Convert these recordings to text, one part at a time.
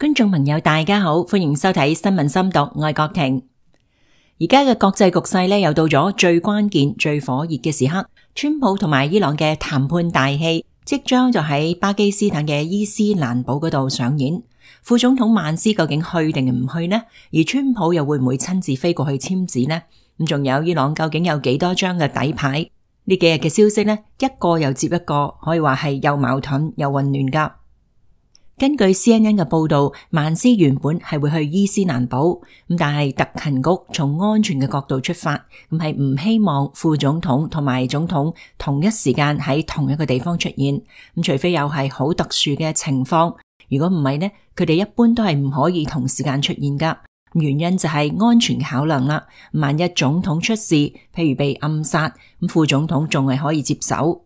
觀眾朋友大家好，歡迎收睇新聞深讀，我係郭婷。而家嘅國際局勢呢，又到咗最關鍵、最火熱嘅時刻，川普同埋伊朗嘅談判大戲即將就喺巴基斯坦嘅伊斯蘭堡嗰度上演。副總統曼斯究竟去定唔去呢？而川普又會唔會親自飛過去簽字呢？咁仲有伊朗究竟有幾多張嘅底牌？呢幾日嘅消息呢，一個又接一個，可以話係又矛盾又混亂噶。根據 CNN 嘅報道，曼斯原本係會去伊斯蘭堡，但係特勤局從安全嘅角度出發，係唔希望副總統同埋總統同一時間喺同一個地方出現，除非又係好特殊嘅情況，如果唔係呢，佢哋一般都係唔可以同時間出現噶。原因就係安全考量啦，萬一總統出事，譬如被暗殺，副總統仲係可以接手。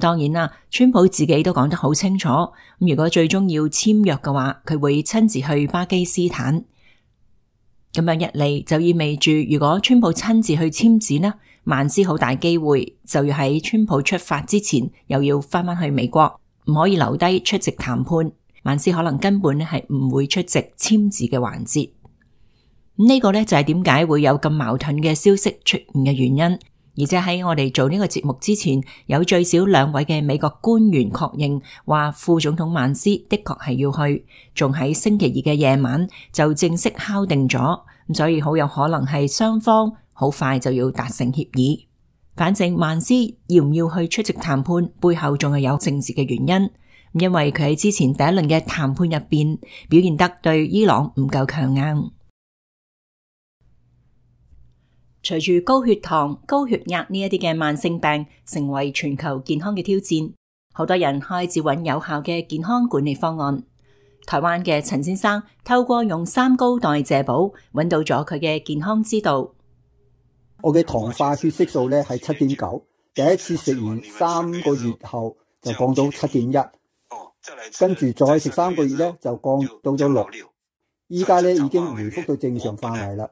當然啦，川普自己都講得好清楚，如果最終要簽約嘅話，佢會親自去巴基斯坦。咁樣一嚟就意味住，如果川普親自去簽字呢，曼斯好大機會就要喺川普出發之前又要翻返去美國，唔可以留低出席談判。曼斯可能根本係唔會出席簽字嘅環節。呢個呢，就係點解會有咁矛盾嘅消息出現嘅原因。而且喺我哋做呢個節目之前，有最少2位嘅美國官員確認話副總統曼斯的確係要去，仲喺星期二嘅夜晚就正式敲定咗，所以好有可能係雙方好快就要達成協議。反正曼斯要唔要去出席談判，背後仲係有政治嘅原因，因為佢喺之前第一輪嘅談判入邊表現得對伊朗唔夠強硬。隨住高血糖、高血壓呢一啲嘅慢性病成為全球健康嘅挑戰，好多人開始揾有效嘅健康管理方案。台灣嘅陳先生透過用三高代謝寶揾到咗佢嘅健康之道。我嘅糖化血色素呢係7.9，第一次食完3個月後就降到7.1，跟住再食3個月呢就降到咗6，依家呢已經回復到正常範圍啦。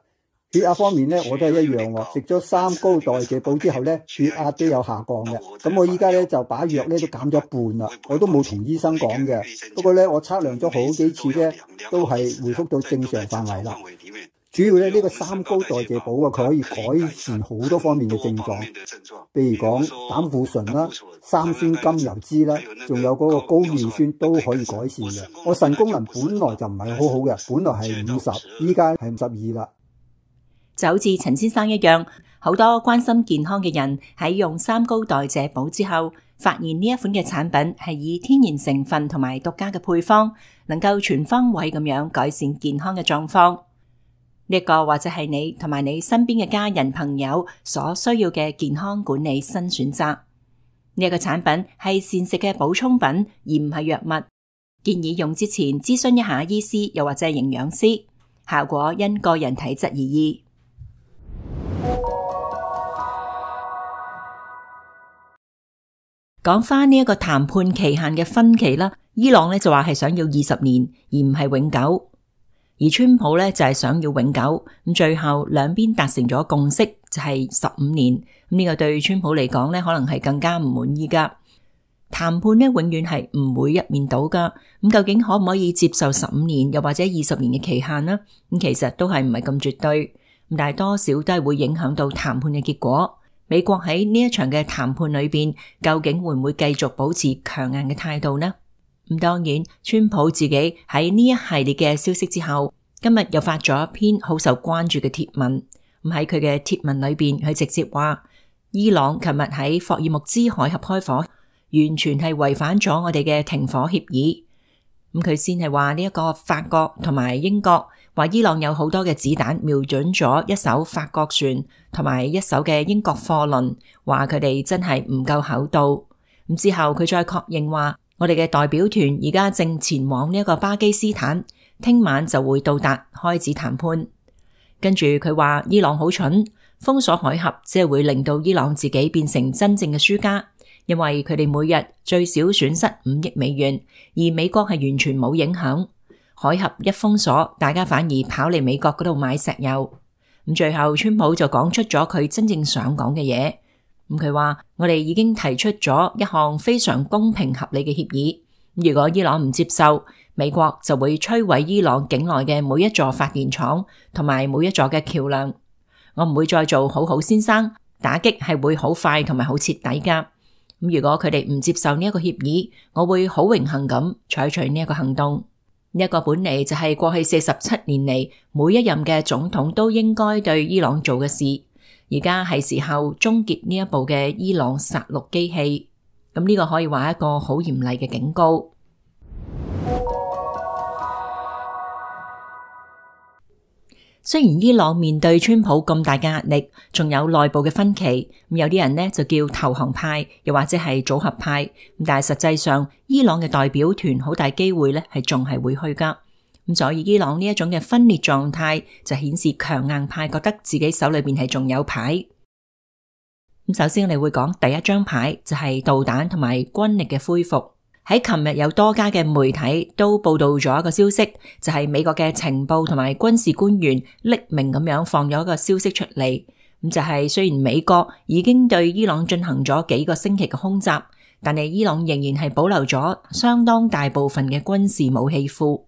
血壓方面呢，我都係一樣喎。食咗三高代謝寶之後呢，血壓都有下降嘅。咁我依家呢就把藥呢都減咗一半啦。我都冇同醫生講嘅。不過呢，我測量咗好幾次呢，都係回復到正常範圍啦。主要呢個三高代謝寶啊，佢可以改善好多方面嘅症狀，譬如講膽固醇啦、三酸甘油酯啦，仲有嗰個高尿酸都可以改善嘅。我腎功能本來就唔係好好嘅，本來係50，依家係52啦。就好似陳先生一樣，好多關心健康嘅人喺用三高代謝寶之後，發現呢一款嘅產品係以天然成分同埋獨家嘅配方，能夠全方位咁樣改善健康嘅狀況。呢個或者係你同埋你身邊嘅家人朋友所需要嘅健康管理新選擇。呢個產品係膳食嘅補充品，而唔係藥物。建議用之前諮詢一下醫師又或者係營養師，效果因個人體質而異。講翻呢一個談判期限嘅分歧啦，伊朗呢就話係想要20年，而唔係永久；而川普呢就係想要永久。咁最後兩邊達成咗共識，就係15年。呢個對川普嚟講呢，可能係更加唔滿意噶。談判呢永遠係唔會一面倒噶。咁究竟可唔可以接受15年，又或者20年嘅期限呢？咁其實都係唔係咁絕對，但係多少都係會影響到談判嘅結果。美國喺呢一場嘅談判裏邊，究竟會唔會繼續保持強硬嘅態度呢？咁當然，川普自己喺呢一系列嘅消息之後，今日又發咗一篇好受關注嘅貼文。咁喺佢嘅貼文裏邊，佢直接話伊朗琴日喺霍爾木茲海峽開火，完全係違反咗我哋嘅停火協議。咁佢先係話呢一個法國同埋英國話伊朗有好多嘅子彈瞄準咗一艘法國船同埋一艘嘅英國貨輪，話佢哋真係唔夠厚道。咁之後佢再確認話，我哋嘅代表團而家正前往呢一個巴基斯坦，聽晚就會到達開始談判。跟住佢話伊朗好蠢，封鎖海峽只係會令到伊朗自己變成真正嘅輸家。因為佢哋每日最少損失5億美元，而美國係完全冇影響。海峽一封鎖，大家反而跑嚟美國嗰度買石油。咁最後川普就講出咗佢真正想講嘅嘢。咁佢話我哋已經提出咗一項非常公平合理嘅協議，如果伊朗唔接受，美國就會摧毀伊朗境內嘅每一座發電廠同埋每一座嘅橋樑。我唔會再做好好先生，打擊係會好快同埋好徹底㗎。如果佢哋唔接受呢一個協議，我會好榮幸咁採取呢一個行動。呢一個本嚟就係過去47年嚟每一任嘅總統都應該對伊朗做嘅事，而家係時候終結呢一部嘅伊朗殺戮機器。咁呢個可以話一個好嚴厲嘅警告。雖然伊朗面對川普咁大嘅壓力，仲有內部嘅分歧，有啲人呢就叫投降派，又或者係組合派，但係實際上伊朗嘅代表團好大機會呢係仲係會去㗎。所以伊朗呢一種嘅分裂狀態就顯示強硬派覺得自己手裏邊係仲有牌。首先我哋會講第一張牌，就係導彈同埋軍力嘅恢復。喺琴日有多家嘅媒體都報道咗一個消息，就係美國嘅情報同埋軍事官員匿名咁樣放咗一個消息出嚟。咁就係雖然美國已經對伊朗進行咗幾個星期嘅空襲，但係伊朗仍然係保留咗相當大部分嘅軍事武器庫。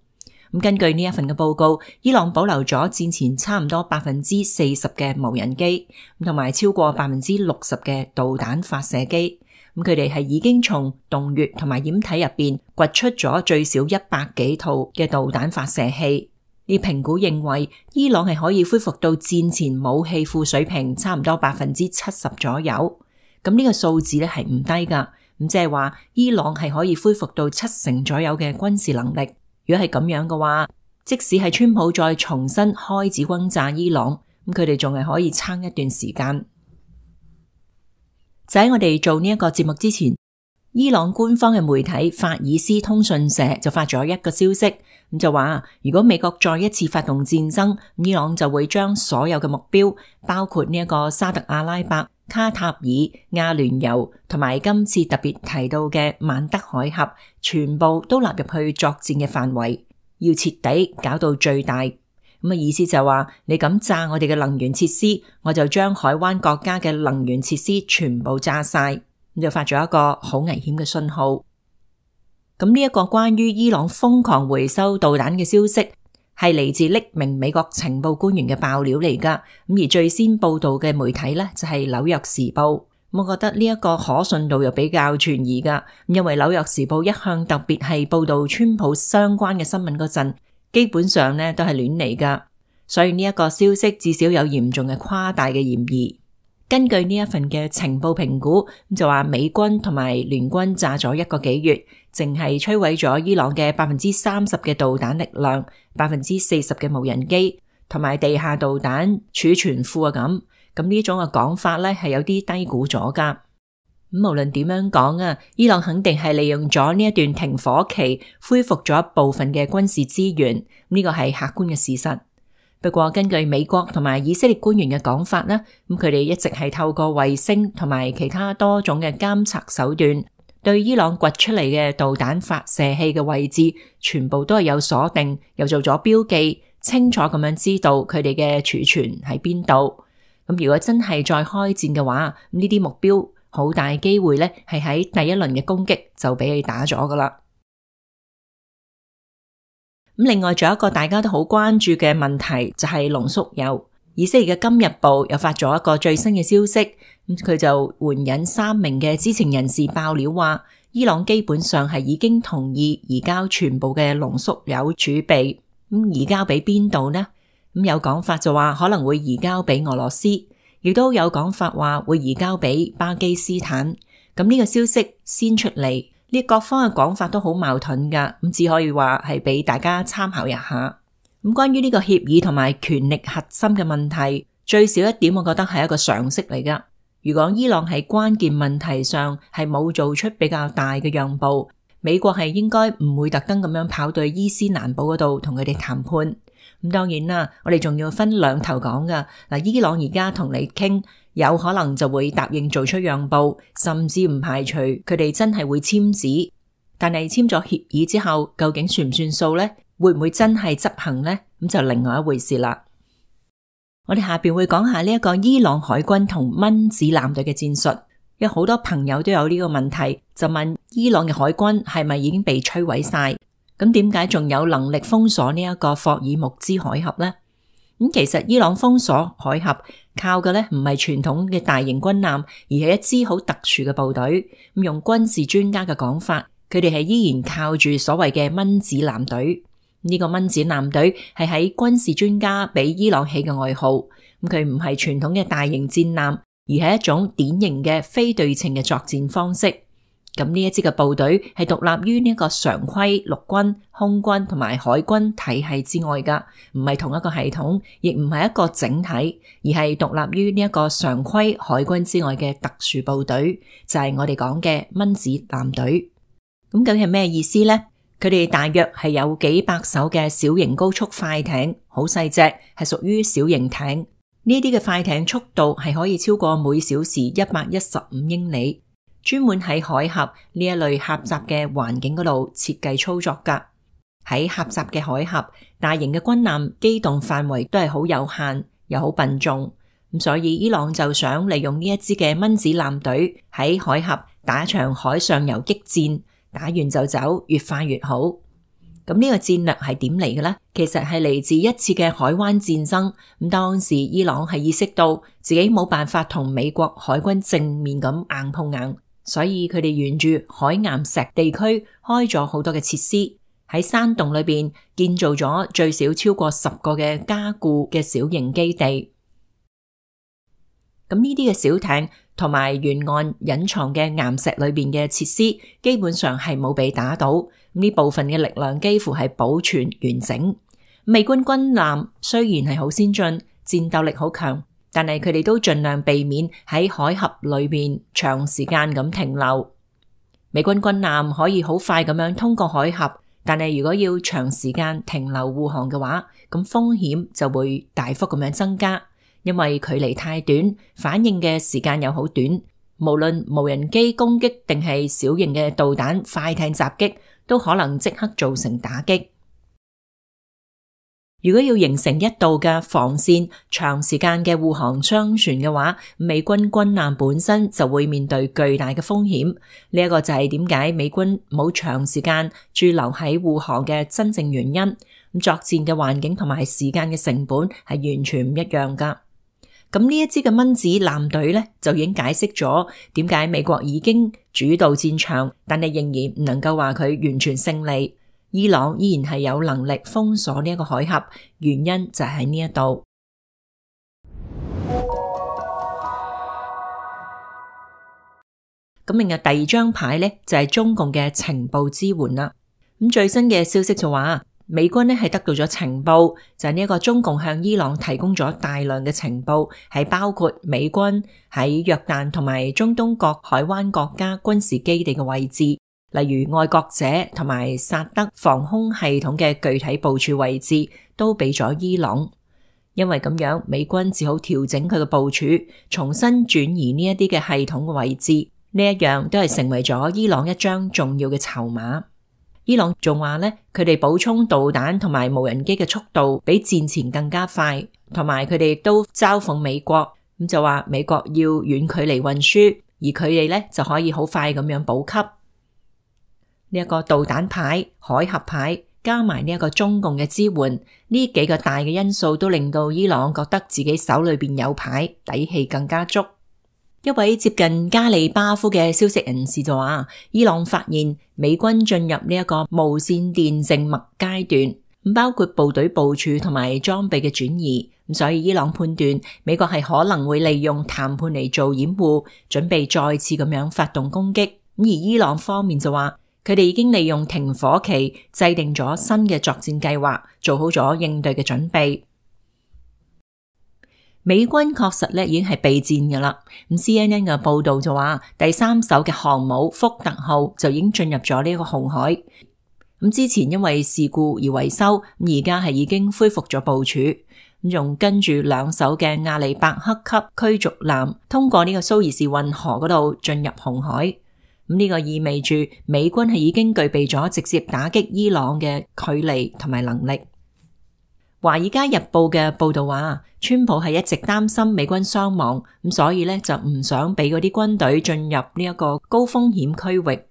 咁根據呢一份嘅報告，伊朗保留咗戰前差唔多40%嘅無人機，同埋超過60%嘅導彈發射機。咁佢哋係已經從洞穴同埋掩體入邊掘出咗最少100幾套嘅導彈發射器。呢評估認為，伊朗係可以恢復到戰前武器庫水平差唔多70%左右。咁呢個數字咧係唔低噶。咁即係話，伊朗係可以恢復到70%左右嘅軍事能力。如果係咁樣嘅話，即使係川普再重新開始轟炸伊朗，咁佢哋仲係可以撐一段時間。就喺我哋做呢一個節目之前，伊朗官方嘅媒體法爾斯通訊社就發咗一個消息，咁就話如果美國再一次發動戰爭，伊朗就會將所有嘅目標，包括呢一個沙特阿拉伯、卡塔爾、阿聯酋同埋今次特別提到嘅曼德海峽，全部都納入去作戰嘅範圍，要徹底搞到最大。咁意思就話，你咁炸我哋嘅能源設施，我就將海灣國家嘅能源設施全部炸晒，咁就發咗一個好危險嘅信號。咁呢一個關於伊朗瘋狂回收導彈嘅消息，係嚟自匿名美國情報官員嘅爆料嚟噶。咁而最先報道嘅媒體呢，就係紐約時報。我覺得呢一個可信度又比較存疑噶，因為紐約時報一向特別係報道川普相關嘅新聞嗰陣，基本上呢都係亂嚟噶，所以呢一個消息至少有嚴重嘅誇大嘅嫌疑。根據呢一份嘅情報評估，就話美軍同埋聯軍炸咗1個幾月，淨係摧毀咗伊朗嘅30%嘅導彈力量，40%嘅無人機同埋地下導彈儲存庫啊咁呢種嘅講法咧係有啲低估咗噶。無論點樣講啊，伊朗肯定係利用咗呢一段停火期，恢復咗一部分嘅軍事資源，呢個係客觀嘅事實。不過根據美國同埋以色列官員嘅講法咧，佢哋一直係透過衛星同埋其他多種嘅監察手段，對伊朗掘出嚟嘅導彈發射器嘅位置，全部都係有鎖定，又做咗標記，清楚咁樣知道佢哋嘅儲存喺邊度。咁如果真係再開戰嘅話，呢啲目標好大機會咧係喺第一輪嘅攻擊就俾佢打咗噶啦。另外仲有一個大家都好關注嘅問題，就係濃縮鈾。以色列嘅今日報又發咗一個最新嘅消息，佢就援引3名嘅知情人士爆料話，伊朗基本上係已經同意移交全部嘅濃縮鈾儲備。移交俾邊度呢？有講法就話可能會移交俾俄羅斯，亦都有講法話會移交俾巴基斯坦。呢個消息先出嚟，呢各方嘅講法都好矛盾噶，只可以話係俾大家參考一下。關於呢個協議同埋權力核心嘅問題，最少一點我覺得係一個常識嚟噶。如果伊朗喺關鍵問題上係冇做出比較大嘅讓步，美國係應該唔會特登咁樣跑到伊斯蘭堡嗰度同佢哋談判。當然啦，我哋仲要分兩頭講噶。伊朗而家同你傾，有可能就會答應做出讓步，甚至唔排除佢哋真係會簽字。但係簽咗協議之後，究竟算唔算數呢？會唔會真係執行呢？咁就另外一回事啦。我哋下邊會講下呢一個伊朗海軍同蚊子艦隊嘅戰術。有好多朋友都有呢個問題，就問伊朗嘅海軍係咪已經被摧毀晒？咁點解仲有能力封鎖呢一個霍爾木茲海峽呢？其實伊朗封鎖海峽靠嘅呢唔係傳統嘅大型軍艦，而係一支好特殊嘅部隊。用軍事專家嘅講法，佢哋係依然靠住所謂嘅蚊子艦隊。呢個蚊子艦隊係喺軍事專家俾伊朗起嘅外號。佢唔係傳統嘅大型戰艦，而係一種典型嘅非對稱嘅作戰方式。咁呢一支嘅部隊係獨立於呢一個常規陸軍、空軍同埋海軍體系之外噶，唔係同一個系統，亦唔係一個整體，而係獨立於呢一個常規海軍之外嘅特殊部隊，就係我哋講嘅蚊子艦隊。咁究竟係咩意思呢？佢哋大約係有幾百艘嘅小型高速快艇，好細隻，係屬於小型艇。呢啲嘅快艇速度係可以超過每小時115英里。專門喺海峽呢一類狹窄嘅環境嗰度設計操作噶。喺狹窄嘅海峽，大型嘅軍艦機動範圍都係好有限，又好笨重。咁所以伊朗就想利用呢一支嘅蚊子艦隊喺海峽打一場海上游擊戰，打完就走，越快越好。咁呢個戰略係點嚟嘅呢？其實係嚟自一次嘅海灣戰爭。咁當時伊朗係意識到自己冇辦法同美國海軍正面咁硬碰硬。所以佢哋沿住海岩石地區開咗好多嘅設施，喺山洞裏邊建造咗最少超過10個嘅加固嘅小型基地。咁呢啲嘅小艇同埋沿岸隱藏嘅岩石裏邊嘅設施，基本上係冇被打倒。呢部分嘅力量幾乎係保存完整。美軍軍艦雖然係好先進，戰鬥力好強，但係佢哋都盡量避免喺海峽裏邊長時間咁停留。美軍軍艦可以好快咁樣通過海峽，但係如果要長時間停留護航嘅話，咁風險就會大幅咁樣增加，因為距離太短，反應嘅時間又好短，無論無人機攻擊定係小型嘅導彈快艇襲擊，都可能即刻造成打擊。如果要形成一道嘅防線，長時間嘅護航商船嘅話，美軍軍艦本身就會面對巨大嘅風險。呢一個就係點解美軍冇長時間駐留喺護航嘅真正原因。作戰嘅環境同埋時間嘅成本係完全唔一樣噶。咁呢一支嘅蚊子艦隊呢，就已經解釋咗點解美國已經主導戰場，但係仍然唔能夠話佢完全勝利。伊朗依然係有能力封鎖呢一個海峽，原因就喺呢一度。咁另外第二張牌呢，就係中共嘅情報支援啦。咁最新嘅消息就話，美軍呢係得到咗情報，就係呢一個中共向伊朗提供咗大量嘅情報，係包括美軍喺約旦同埋中東各海灣國家軍事基地嘅位置。例如愛國者同埋薩德防空系統嘅具體部署位置都俾咗伊朗，因為咁樣美軍只好調整佢嘅部署，重新轉移呢一啲嘅系統嘅位置，呢一樣都係成為咗伊朗一張重要嘅籌碼。伊朗仲話呢，佢哋補充導彈同埋無人機嘅速度比戰前更加快，同埋佢哋亦都嘲諷美國，咁就話美國要遠距離運輸，而佢哋呢就可以好快咁樣補給。呢一個導彈牌、海峽牌加埋呢一個中共嘅支援，呢幾個大嘅因素都令到伊朗覺得自己手裏邊有牌，底氣更加足。一位接近加里巴夫嘅消息人士就話，伊朗發現美軍進入呢一個無線電靜默階段，包括部隊部署同埋裝備嘅轉移，所以伊朗判斷美國係可能會利用談判嚟做掩護，準備再次咁樣發動攻擊。而伊朗方面就話，佢哋已經利用停火期制定咗新嘅作戰計劃，做好咗應對嘅準備。美軍確實咧已經係備戰噶啦。CNN 嘅報道就話，第3艘嘅航母福特號就已經進入咗呢個紅海。之前因為事故而維修，而家係已經恢復咗部署。仲跟住2艘嘅阿利伯克級驅逐艦通過呢個蘇伊士運河嗰度進入紅海。呢個意味住美軍係已經具備咗直接打擊伊朗嘅距離同埋能力。華爾街日報嘅報道話，川普係一直擔心美軍傷亡，咁所以咧就唔想俾嗰啲軍隊進入呢一個高風險區域。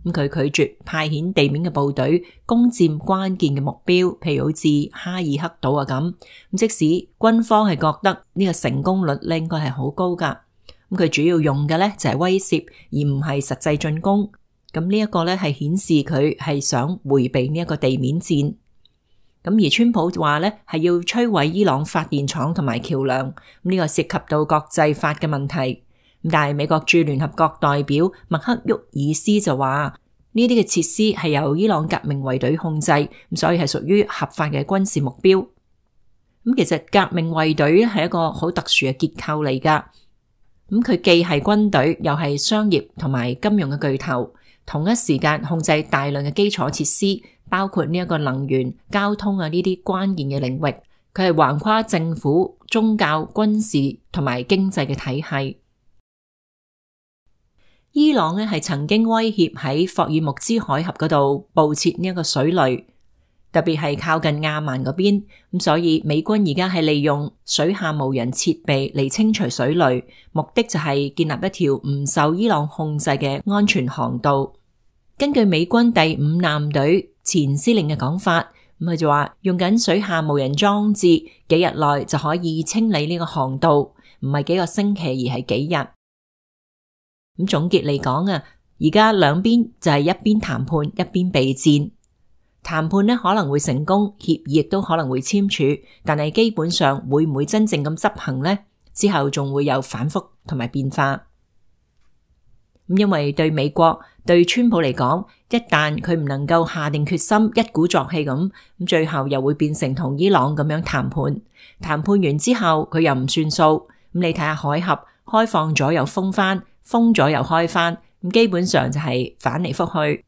咁佢拒絕派遣地面嘅部隊攻佔關鍵嘅目標，譬如好似哈爾克島啊咁。即使軍方係覺得呢個成功率應該係好高噶，咁佢主要用嘅咧就係威懾，而唔係實際進攻。咁呢一個咧係顯示佢係想回避呢一個地面戰。咁而川普話咧係要摧毀伊朗發電廠同埋橋樑，呢個涉及到國際法嘅問題。但係美國駐聯合國代表麥克沃爾斯就話呢啲嘅設施係由伊朗革命衛隊控制，所以係屬於合法嘅軍事目標。咁其實革命衛隊咧係一個好特殊嘅結構嚟噶。咁佢既係軍隊，又係商業同埋金融嘅巨頭，同一時間控制大量嘅基礎設施，包括呢一個能源、交通啊呢啲關鍵嘅領域。佢係橫跨政府、宗教、軍事同埋經濟嘅體系。伊朗咧係曾經威脅喺霍爾木茲海峽嗰度布設呢一個水雷，特別係靠近亞曼嗰邊。咁所以美軍而家係利用水下無人設備嚟清除水雷，目的就係建立一條唔受伊朗控制嘅安全航道。根據美軍第5艦隊前司令嘅講法，咁佢就話用緊水下無人裝置，幾日內就可以清理呢個航道，唔係幾個星期而係幾日。咁總結嚟講啊，而家兩邊就係一邊談判一邊備戰。談判呢可能會成功，協議亦都可能會簽署，但係基本上會唔會真正咁執行呢？之後仲會有反覆同埋變化。咁因為對美國對川普嚟講，一旦佢唔能夠下定決心一鼓作氣咁最後又會變成同伊朗咁樣談判。談判完之後佢又唔算數，咁你睇下海峽開放咗又封翻，封咗又開翻，咁基本上就係反嚟覆去。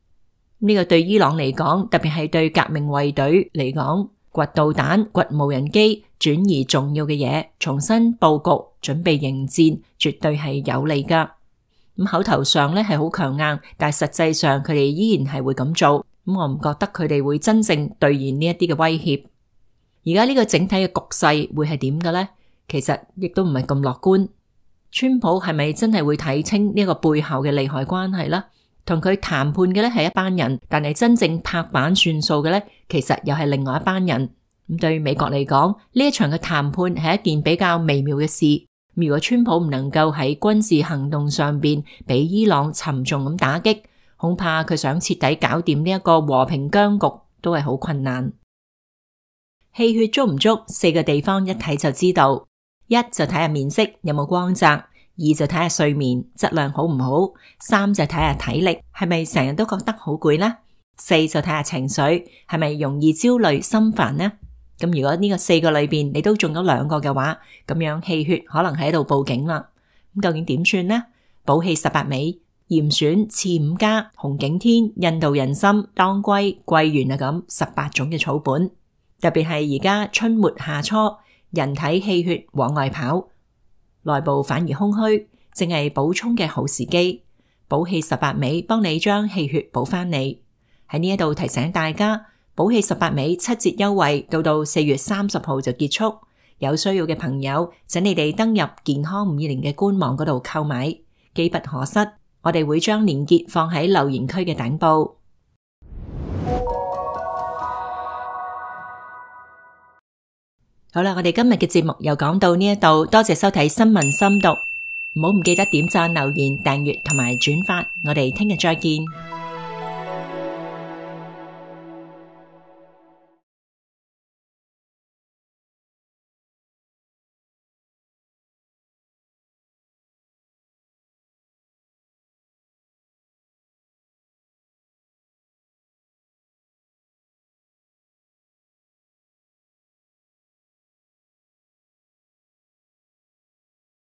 呢個對伊朗嚟講，特別係對革命衛隊嚟講，掘導彈、掘無人機，轉移重要嘅嘢，重新佈局，準備迎戰，絕對係有利噶。咁口頭上咧係好強硬，但係實際上佢哋依然係會咁做。咁我唔覺得佢哋會真正兌現呢一啲嘅威脅。而家呢個整體嘅局勢會係點嘅咧？其實亦都唔係咁樂觀。川普係咪真係會睇清呢個背後嘅利害關係呢？同佢談判嘅咧係一班人，但係真正拍板算數嘅咧，其實又係另外一班人。咁對美國嚟講，呢一場嘅談判係一件比較微妙嘅事。如果川普唔能夠喺軍事行動上邊俾伊朗沉重咁打擊，恐怕佢想徹底搞掂呢一個和平僵局都係好困難。氣血足唔足，4個地方一睇就知道。一就睇下面色有冇光澤，二就睇下睡眠質量好唔好，三就睇下體力係咪成日都覺得好攰呢，四就睇下情緒係咪容易焦慮心煩呢。咁如果呢個4個裏邊你都中咗2個嘅話，咁樣氣血可能喺度報警啦。咁究竟點算呢？補氣18味、嚴選、刺5家、紅景天、印度人參、當歸、桂圓啊咁18種嘅草本，特別係而家春末夏初，人體氣血往外跑，內部反而空虛，正係補充嘅好時機。補氣18味幫你將氣血補返嚟。喺呢一度提醒大家，補氣18味7折優惠到4月30號就結束，有需要嘅朋友請你哋登入健康520嘅官網嗰度購買，機不可失。我哋會將連結放喺留言區嘅頂部。好啦，我哋今日嘅節目又講到呢一度，多謝收睇新聞深讀，唔好唔記得點讚、留言、訂閱同埋轉發，我哋聽日再見。